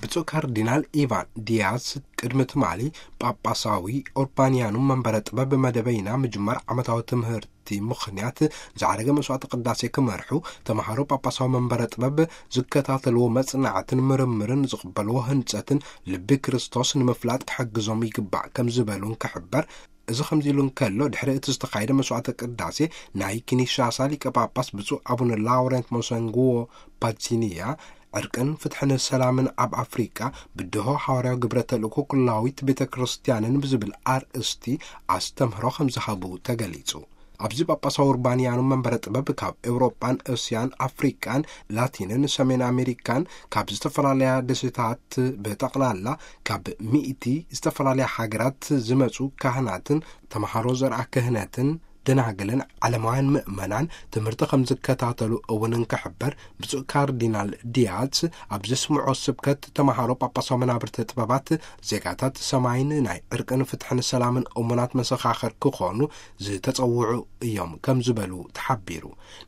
ብፁዕ ካርዲናል ኢቫን ዲያስ ቅድሚ ትማሊ ጳጳሳዊ ኡርባንያኑም መንበረ ጥበብ መደበይና ምጅማር ዓመታዊ ትምህርቲ ምኽንያት ዝዓረገ መስዋዕቲ ቅዳሴ ክመርሑ፣ ተምሃሮ ጳጳሳዊ መንበረ ጥበብ ዝከታተልዎ መጽናዕትን ምርምርን ዝቕበልዎ ህንጸትን ልቢ ክርስቶስ ንምፍላጥ ክሕግዞም ይግባእ ከም ዝበሉ እንክሕበር፣ እዚ ከምዚ ኢሉ እንከሎ፣ ድሕሪ እቲ ዝተኻየደ መስዋዕተ ቅዳሴ ናይ ኪንሻሳ ሊቀ ጳጳስ ብፁዕ ኣቡነ ላውረንት ሞሰንግዎ ፓቲኒያ ዕርቅን ፍትሕን ሰላምን ኣብ ኣፍሪቃ ብድሆ ሓዋርያዊ ግብረ ተልእኮ ኩላዊት ቤተ ክርስቲያንን ብዝብል ኣርእስቲ ኣስተምህሮ ከም ዝሃቡ ተገሊጹ። ኣብዚ ጳጳሳዊ ኡርባንያኑ መንበረ ጥበብ ካብ ኤውሮጳን እስያን ኣፍሪቃን ላቲንን ሰሜን ኣሜሪካን ካብ ዝተፈላለያ ደሴታት ብጠቕላላ ካብ ሚእቲ ዝተፈላለያ ሃገራት ዝመጹ ካህናትን ተምሃሮ ዘርኣ ክህነትን ደናግልን ዓለማውያን ምእመናን ትምህርቲ ከም ዝከታተሉ እውን እንክሕበር፣ ብፁዕ ካርዲናል ዲያዝ ኣብ ዘስምዖ ስብከት፣ ተምሃሮ ጳጳሳዊ መናብርቲ ጥበባት ዜጋታት ሰማይን ናይ ዕርቅን ፍትሕን ሰላምን እሙናት መሰኻኽር ክኾኑ ዝተጸውዑ እዮም ከም ዝበሉ ተሓቢሩ።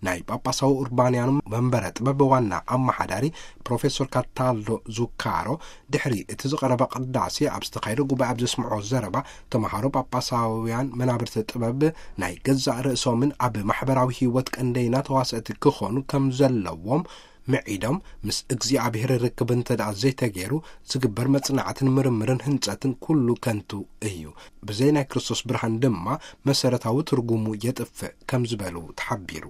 ናይ ጳጳሳዊ ኡርባንያኑ መንበረ ጥበብ ዋና ኣመሓዳሪ ፕሮፌሶር ካታልዶ ዙካሮ ድሕሪ እቲ ዝቐረበ ቅዳሴ ኣብ ዝተኻየደ ጉባኤ ኣብ ዘስምዖ ዘረባ፣ ተምሃሮ ጳጳሳውያን መናብርቲ ጥበብ ናይ ገዛእ ርእሶምን ኣብ ማሕበራዊ ህይወት ቀንደይና ተዋሰእቲ ክኾኑ ከም ዘለዎም ምዒዶም፣ ምስ እግዚኣብሔር ርክብ እንተ ደኣ ዘይተገይሩ ዝግበር መጽናዕትን ምርምርን ህንጸትን ኩሉ ከንቱ እዩ። ብዘይ ናይ ክርስቶስ ብርሃን ድማ መሰረታዊ ትርጉሙ የጥፍእ ከም ዝበሉ ተሓቢሩ።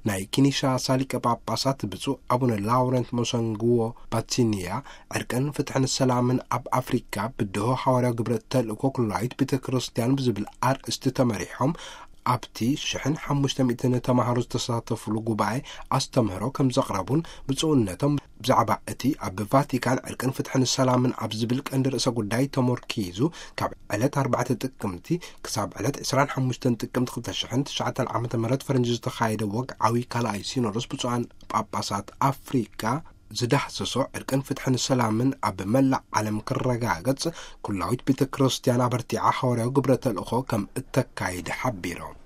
ናይ ኪንሻሳ ሊቀ ጳጳሳት ብፁዕ ኣቡነ ላውረንት ሞሰንግዎ ፓቲኒያ ዕርቅን ፍትሕን ሰላምን ኣብ ኣፍሪካ ብድሆ ሓዋርያዊ ግብረ ተልእኮ ኩላዊት ቤተ ክርስቲያን ብዝብል ኣርእስቲ ተመሪሖም ኣብቲ ሽሕን ሓሙሽተ ሚእትን ተምሃሮ ዝተሳተፉሉ ጉባኤ ኣስተምህሮ ከም ዘቕረቡን ብፁዕነቶም ብዛዕባ እቲ ኣብ ቫቲካን ዕርቅን ፍትሕን ሰላምን ኣብ ዝብል ቀንዲ ርእሰ ጉዳይ ተመርኪዙ ካብ ዕለት ኣርባዕተ ጥቅምቲ ክሳብ ዕለት ዕስራን ሓሙሽተን ጥቅምቲ ክልተ ሽሕን ትሽዓተን ዓመተ ምህረት ፈረንጂ ዝተኻየደ ወግዓዊ ካልኣይ ሲኖዶስ ብፁዓን ጳጳሳት ኣፍሪካ ዝዳህሰሶ ዕርቅን ፍትሕን ሰላምን ኣብ መላእ ዓለም ክረጋገጽ ኩላዊት ቤተ ክርስቲያን ኣበርቲዓ ሓዋርያዊ ግብረ ተልእኾ ከም እተካይድ ሓቢሮም።